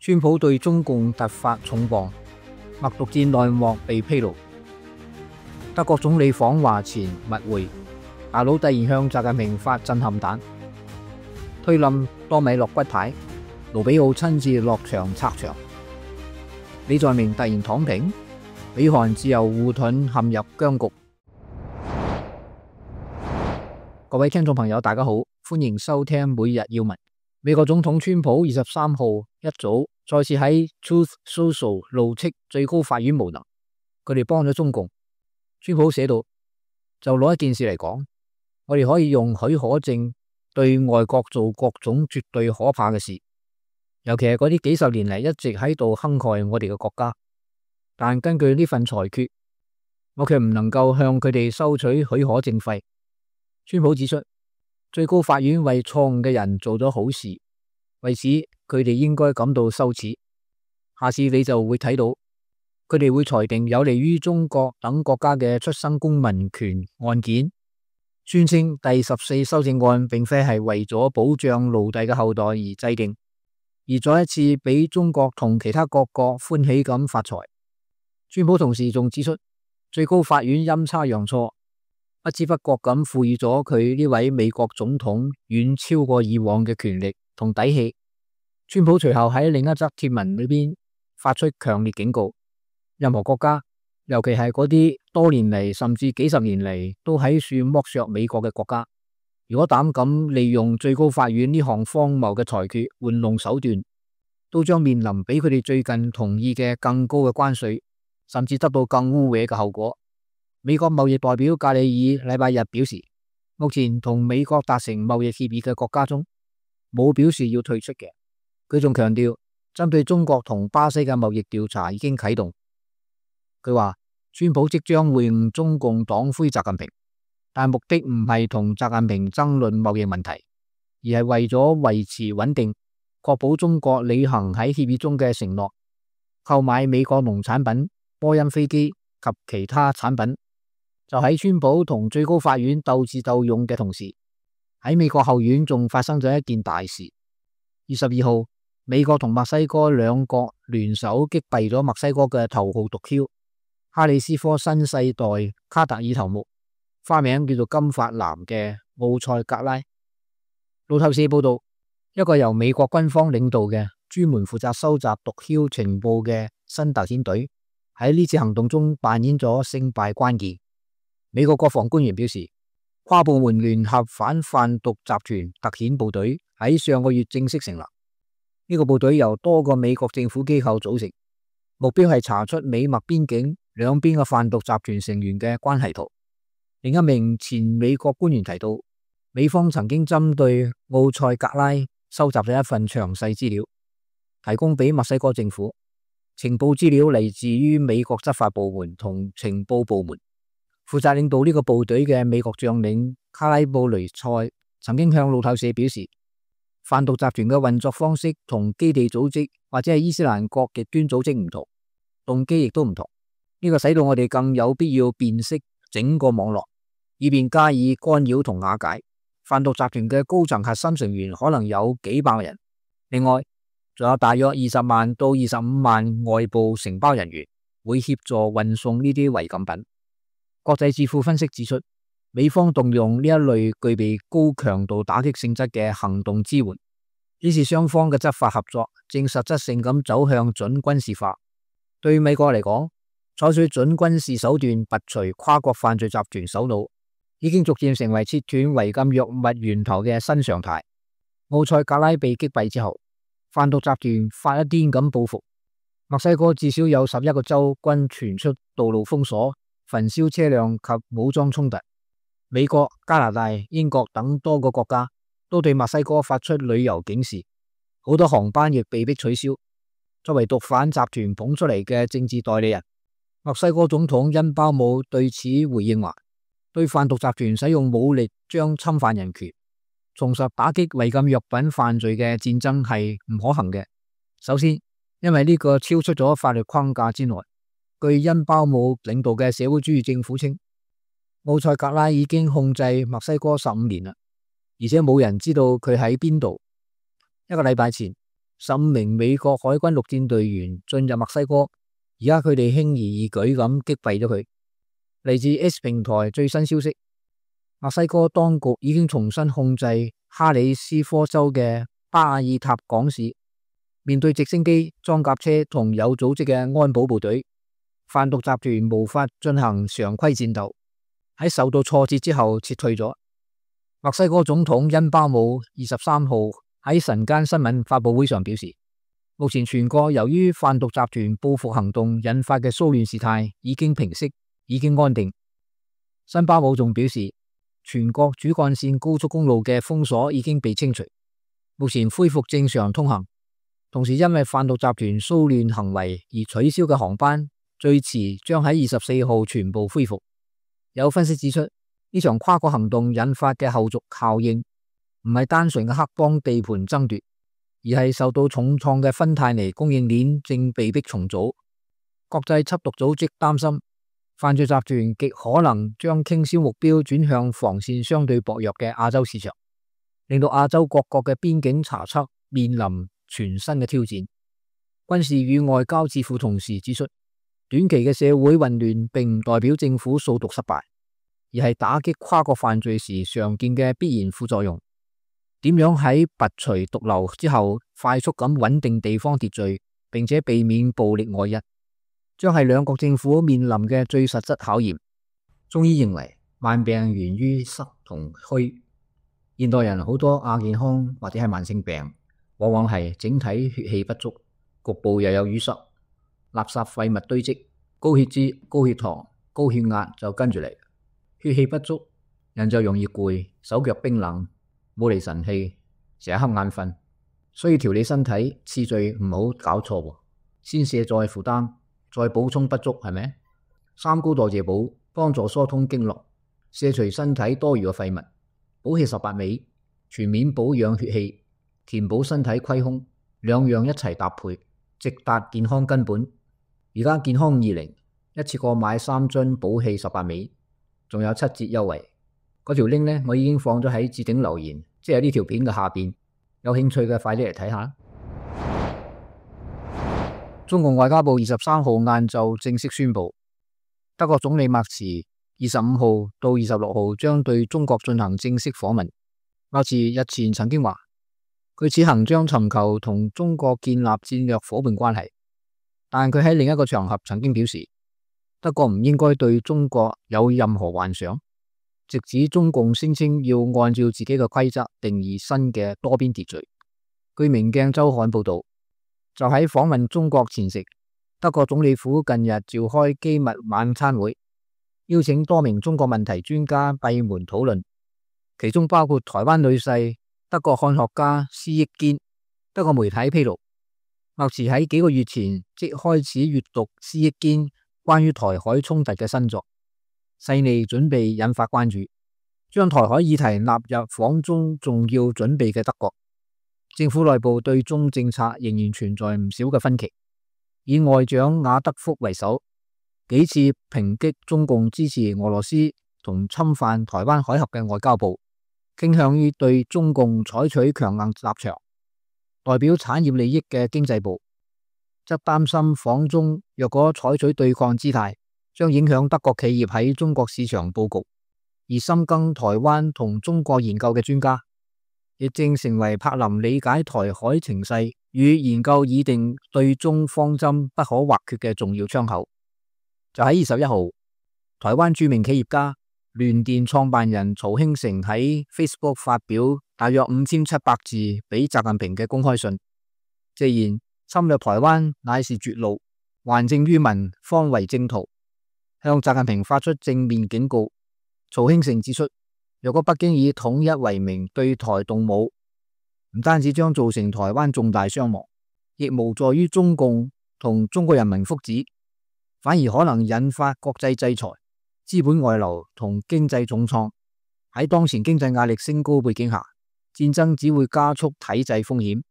川普對中共突發重磅，默讀戰內幕被披露。德國總理訪華前密會，大佬突然向習近平發震撼彈，推冧多米諾骨牌，盧比奧親自落場拆牆。李在明突然躺平，美韓自由護盾陷入僵局。各位聽眾朋友，大家好，歡迎收聽每日要聞。美國總統川普23號一早再次喺 Truth Social 怒斥最高法院無能，佢哋幫咗中共。川普寫道，就攞一件事嚟講，我哋可以用許可證對外國做各種絕對可怕嘅事，尤其係嗰啲幾十年嚟一直喺度坑害我哋嘅國家。但根據呢份裁決，我卻唔能夠向佢哋收取許可證費。川普指出，最高法院為錯誤嘅人做咗好事，為此佢哋應該感到羞恥。下次你就會睇到，佢哋會裁定有利於中國等國家嘅出生公民權案件，宣稱第14修正案並非係為咗保障奴隸嘅後代而制定，而再一次俾中國同其他各國歡喜咁發財。川普同時仲指出，最高法院陰差陽錯，不知不覺咁賦予咗佢呢位美國總統遠超過以往嘅權力同底氣。川普隨後喺另一則貼文裏邊發出強烈警告，任何國家，尤其係嗰啲多年嚟甚至幾十年嚟都喺處剝削美國嘅國家，如果膽敢利用最高法院呢項荒謬嘅裁決玩弄手段，都將面臨比佢哋最近同意嘅更高嘅關稅，甚至得到更污穢嘅後果。美國貿易代表格里爾禮拜日表示，目前同美國達成貿易協議嘅國家中，冇表示要退出嘅。佢仲強調，針對中國同巴西嘅貿易調查已經啟動。佢話，川普即將會晤中共黨魁習近平，但目的唔係同習近平爭論貿易問題，而係為咗維持穩定，確保中國履行喺協議中嘅承諾，購買美國農產品、波音飛機及其他產品。就喺川普同最高法院鬥智鬥勇嘅同時，喺美國後院仲發生咗一件大事。22號，美國同墨西哥兩國聯手擊斃咗墨西哥嘅頭號毒梟哈里斯科新世代卡特爾頭目，花名叫做金髮男嘅奧塞格拉。路透社報道，一個由美國軍方領導嘅專門負責收集毒梟情報嘅新特遣隊喺呢次行動中扮演咗勝敗關鍵。美國國防官員表示，跨部門聯合反販毒集團特遣部隊喺上個月正式成立。呢個部隊由多個美國政府機構組成，目標係查出美墨邊境兩邊嘅販毒集團成員嘅關係圖。另一名前美國官員提到，美方曾經針對奧塞格拉收集咗一份詳細資料，提供俾墨西哥政府。情報資料嚟自於美國執法部門同情報部門。負責領導呢個部隊嘅美國將領卡拉布雷塞曾經向路透社表示，販毒集團嘅運作方式同基地組織或者係伊斯蘭國極端組織唔同，動機亦都唔同。呢個使到我哋更有必要辨識整個網絡，以便加以干擾同瓦解。販毒集團嘅高層核心成員可能有幾百人，另外仲有大約20萬到25萬外部承包人員會協助運送呢啲違禁品。國際智庫分析指出，美方動用呢一類具備高強度打擊性質嘅行動支援，顯示雙方嘅執法合作正實質性咁走向準軍事化。對美國嚟講，採取準軍事手段拔除跨國犯罪集團首腦，已經逐漸成為切斷違禁藥物源頭嘅新常態。奧塞格拉被擊斃之後，販毒集團發一癲咁報復。墨西哥至少有11個州均傳出道路封鎖、焚燒車輛及武裝衝突。美國、加拿大、英國等多個國家都對墨西哥發出旅遊警示，好多航班亦被迫取消。作為毒販集團捧出嚟嘅政治代理人，墨西哥總統恩包姆對此回應話，對販毒集團使用武力將侵犯人權、重拾打擊違禁藥品犯罪嘅戰爭係唔可行嘅。首先，因為呢個超出咗法律框架之內。據恩包姆領導嘅社會主義政府稱，奧塞格拉已經控制墨西哥15年啦，而且冇人知道佢喺邊度。一個禮拜前， 15名美國海軍陸戰隊員進入墨西哥，而家佢哋輕而易舉咁擊斃咗佢。嚟自 S 平台最新消息，墨西哥當局已經重新控制哈里斯科州嘅巴爾塔港市。面對直升機、裝甲車同有組織嘅安保部隊，販毒集團無法進行常規戰鬥，喺受到挫折之後撤退咗。墨西哥總統恩巴姆23號喺晨間新聞發佈會上表示，目前全國由於販毒集團報復行動引發嘅騷亂事態已經平息，已經安定。恩巴姆仲表示，全國主幹線高速公路嘅封鎖已經被清除，目前恢復正常通行。同時因為販毒集團騷亂行為而取消嘅航班，最遲將喺24號全部恢復。有分析指出，呢場跨國行動引發嘅後續效應唔係單純嘅黑幫地盤爭奪，而係受到重創嘅芬太尼供應鏈正被迫重組。國際緝毒組織擔心，犯罪集團極可能將傾銷目標轉向防線相對薄弱嘅亞洲市場，令到亞洲各國嘅邊境查測面臨全新嘅挑戰。軍事與外交智庫同時指出，短期嘅社會混亂並唔代表政府掃毒失敗，而係打擊跨國犯罪時常見嘅必然副作用。點樣喺拔除毒瘤之後快速咁穩定地方秩序，並且避免暴力外溢，將係兩國政府面臨嘅最實質考驗。中醫認為，慢病源於濕同虛。現代人好多亞健康或者係慢性病，往往係整體血氣不足，局部又有淤塞，垃圾廢物堆積，高血脂、高血糖、高血壓就跟住嚟。血氣不足，人就容易攰，手腳冰冷，冇嚟神氣，成日瞌眼瞓。所以調理身體次序唔好搞錯，先卸載負擔，再補充不足，係咪？三高代謝補幫助疏通經絡，卸除身體多餘嘅廢物，補氣18味，全面保養血氣，填補身體虧空，兩樣一齊搭配，直達健康根本。而家健康20一次過買3樽補氣18味，仲有7折優惠。嗰條 link 呢，我已經放咗喺置頂留言，即係呢條片嘅下邊。有興趣嘅快啲嚟睇下。中共外交部23號晏晝正式宣布，德國總理默茨25號到26號將對中國進行正式訪問。默茨日前曾經話，佢此行將尋求同中國建立戰略夥伴關係，但佢喺另一個場合曾經表示，德國唔應該對中國有任何幻想，直指中共聲稱要按照自己嘅規則定義新嘅多邊秩序。據明鏡周刊報道，就喺訪問中國前夕，德國總理府近日召開機密晚餐會，邀請多名中國問題專家閉門討論，其中包括台灣女婿、德國漢學家施益堅。德國媒體披露，默茨喺幾個月前即開始閱讀施益堅關於台海衝突嘅新作，細膩準備引發關注，將台海議題納入訪中重要準備嘅德國政府內部對中政策仍然存在唔少嘅分歧。以外長雅德福為首，幾次抨擊中共支持俄羅斯同侵犯台灣海峽嘅外交部，傾向於對中共採取強硬立場。代表產業利益嘅經濟部則擔心訪中若果採取對抗姿態，將影響德國企業喺中國市場佈局。而深耕台灣同中國研究嘅專家，亦正成為柏林理解台海情勢與研究擬定對中方針不可或缺嘅重要窗口。就喺21號，台灣著名企業家聯電創辦人曹興誠喺 Facebook 發表大約5700字俾習近平嘅公開信，直言侵略台灣乃是絕路，還政於民方為正途，向習近平發出正面警告。曹興誠指出，若果北京以統一為名對台動武，唔單止將造成台灣重大傷亡，亦無助於中共同中國人民福祉，反而可能引發國際制裁、資本外流同經濟重創。喺當前經濟壓力升高背景下，戰爭只會加速體制風險。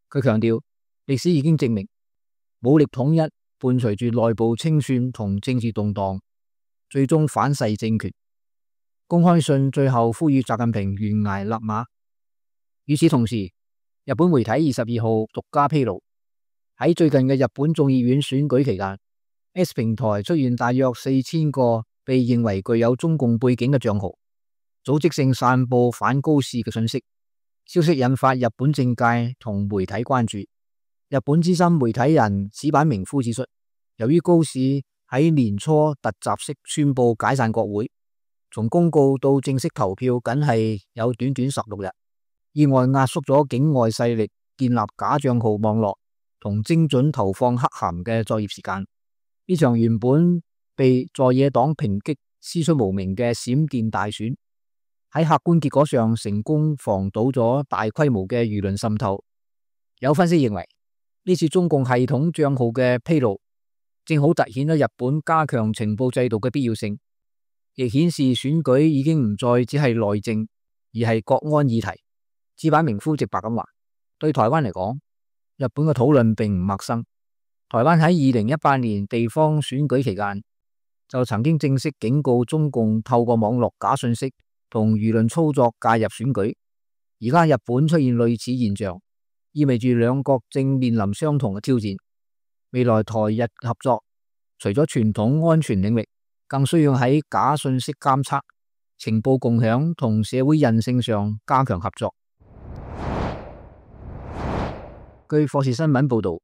佢強調，歷史已經證明，武力統一伴隨住內部清算同政治動盪，最終反噬政權。公開信最後呼籲習近平懸崖勒馬。與此同時，日本媒體22號獨家披露，喺最近嘅日本眾議院選舉期間， X 平台出現大約4000個被認為具有中共背景嘅賬號，組織性散布反高市嘅信息。消息引發日本政界同媒體關注。日本資深媒體人矢板明夫指出，由於高市喺年初突襲式宣布解散國會，從公告到正式投票僅係有短短16日，意外壓縮咗境外勢力建立假賬號網絡同精準投放黑函嘅作業時間。呢場原本被在野黨抨擊師出無名嘅閃電大選，喺客觀結果上成功防堵咗大規模嘅輿論滲透。有分析認為，呢次中共系統賬號嘅披露，正好凸顯咗日本加強情報制度嘅必要性，亦顯示選舉已經唔再只係內政，而係國安議題。矢板明夫直白咁話，對台灣嚟講，日本嘅討論並唔陌生。台灣喺2018年地方選舉期間，就曾經正式警告中共透過網絡假信息同輿論操作介入選舉。而家日本出現類似現象，意味住兩國正面臨相同嘅挑戰。未來台日合作，除咗傳統安全領域，更需要喺假信息監測、情報共享同社會韌性上加強合作。據霍士新聞報道，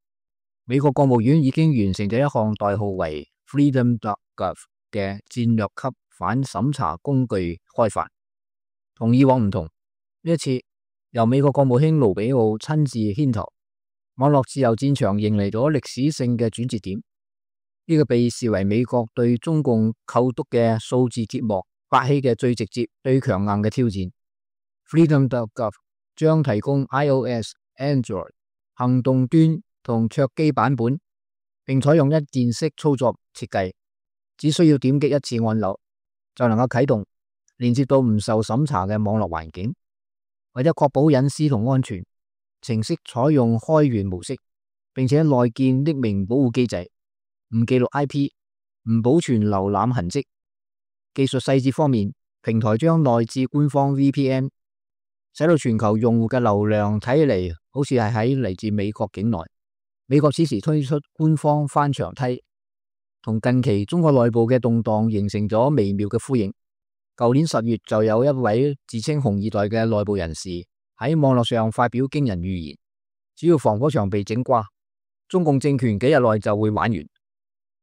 美國國務院已經完成咗一項代號為 Freedom.gov 嘅戰略級反審查工具開發。同以往唔同，呢一次由美國國務卿盧比奧親自牽頭，網絡自由戰場迎嚟咗歷史性嘅轉折點。呢個被視為美國對中共構築嘅數字鐵幕發起嘅最直接、最強硬嘅挑戰。Freedom.gov 將提供 iOS、Android 行動端同桌機版本，並採用一鍵式操作設計，只需要點擊一次按鈕就能夠啟動，連接到唔受審查嘅網絡環境。為咗確保隱私同安全，程式採用開源模式，並且內建匿名保護機制，唔記錄 IP， 唔保存瀏覽痕跡。技術細節方面，平台將內置官方 VPN， 使到全球用戶嘅流量睇起嚟好似係喺嚟自美國境內。美國此時推出官方翻牆梯，同近期中國內部嘅動盪形成咗微妙嘅呼應。舊年10月就有一位自稱紅二代嘅內部人士喺網絡上發表驚人預言，只要防火牆被整瓜，中共政權幾日內就會玩完。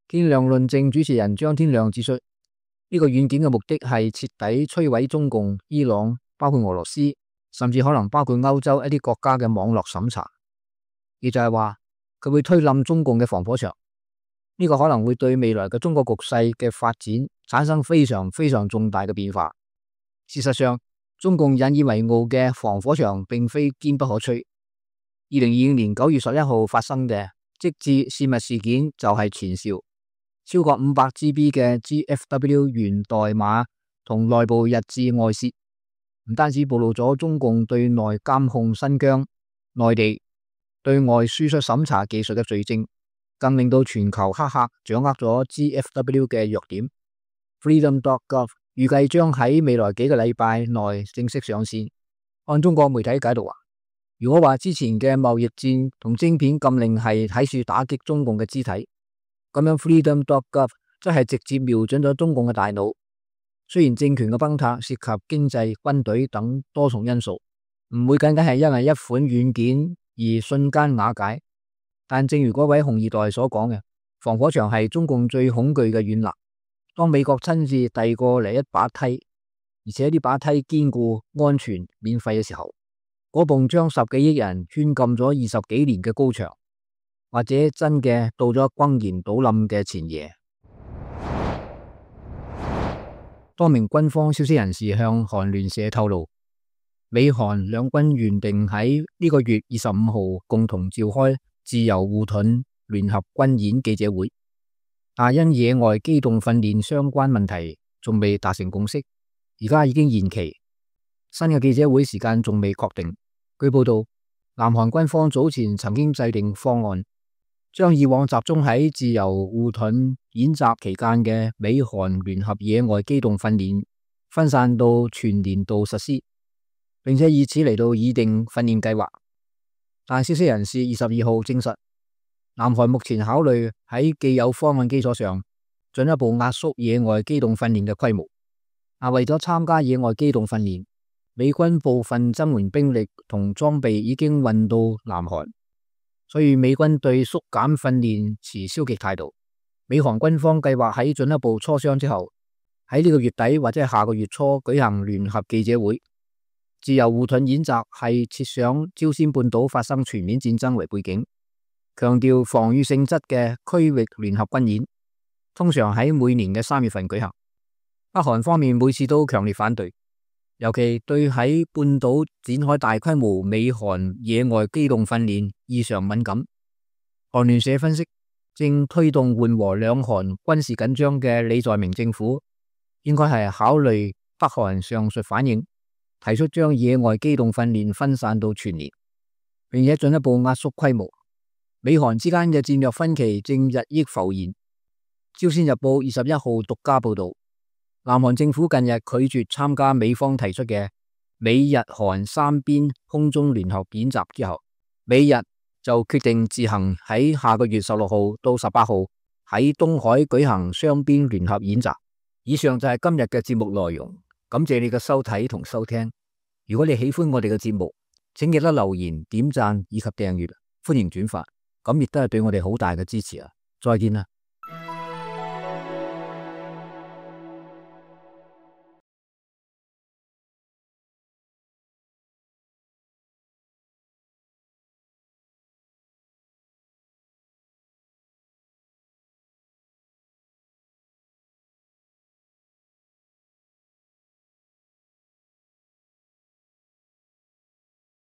天亮論證主持人張天亮指出，呢個軟件嘅目的係徹底摧毀中共、伊朗，包括俄羅斯，甚至可能包括歐洲一啲國家嘅網絡審查。亦就係話，佢會推冧中共嘅防火牆。呢個可能會對未來嘅中國局勢嘅發展產生非常非常重大嘅變化。事實上，中共引以為傲嘅防火牆並非堅不可摧。2025年9月11號發生嘅即致泄密事件就係前兆。超過500GB 嘅 GFW 源代碼同內部日誌外泄，唔單止暴露咗中共對內監控新疆、內地對外輸出審查技術嘅罪證，更令到全球黑客掌握咗 GFW 嘅弱點。Freedom.gov 預計將喺未來幾個禮拜內正式上線。按中國媒體解讀話，如果話之前嘅貿易戰同晶片禁令係睇住打擊中共嘅肢體，咁樣 Freedom.gov 則係直接瞄準咗中共嘅大腦。雖然政權嘅崩塌涉及經濟、軍隊等多重因素，唔會僅僅係因為一款軟件而瞬間瓦解，但正如嗰位紅二代所講嘅，防火牆係中共最恐懼嘅軟肋。當美國親自遞過嚟一把梯，而且呢把梯堅固、安全、免費嘅時候，嗰埲將10幾億人圈禁咗20幾年嘅高牆，或者真嘅到咗轟然倒冧嘅前夜。多名軍方消息人士向韓聯社透露，美韓兩軍原定喺呢個月25號共同召開自由護盾聯合軍演記者會，但因野外機動訓練相關問題仲未達成共識，而家已經延期。新嘅記者會時間仲未確定。據報道，南韓軍方早前曾經制定方案，將以往集中喺自由護盾演習期間嘅美韓聯合野外機動訓練分散到全年度實施，並且以此嚟到擬定訓練計劃。但消息人士22號證實，南韓目前考慮喺既有方案基礎上，進一步壓縮野外機動訓練嘅規模。為咗參加野外機動訓練，美軍部分增援兵力同裝備已經運到南韓，所以美軍對縮減訓練持消極態度。美韓軍方計劃喺進一步磋商之後，喺呢個月底或者係下個月初舉行聯合記者會。自由護盾演習係設想朝鮮半島發生全面戰爭為背景，強調防禦性質嘅區域聯合軍演，通常喺每年嘅3月份舉行。北韓方面每次都強烈反對，尤其對喺半島展開大規模美韓野外機動訓練異常敏感。韓聯社分析，正推動緩和兩韓軍事緊張嘅李在明政府，應該係考慮北韓上述反應，提出將野外機動訓練分散到全年，並且進一步壓縮規模。美韓之間嘅戰略分歧正日益浮現。朝鮮日報21號獨家報道，南韓政府近日拒絕參加美方提出嘅美日韓三邊空中聯合演習之後，美日就決定自行喺下個月16號到18號喺東海舉行雙邊聯合演習。以上就係今日嘅節目內容，感謝你嘅收睇同收聽。如果你喜歡我哋嘅節目，請記得留言、點讚以及訂閱，歡迎轉發，咁亦都係對我哋好大嘅支持啊！再見啦！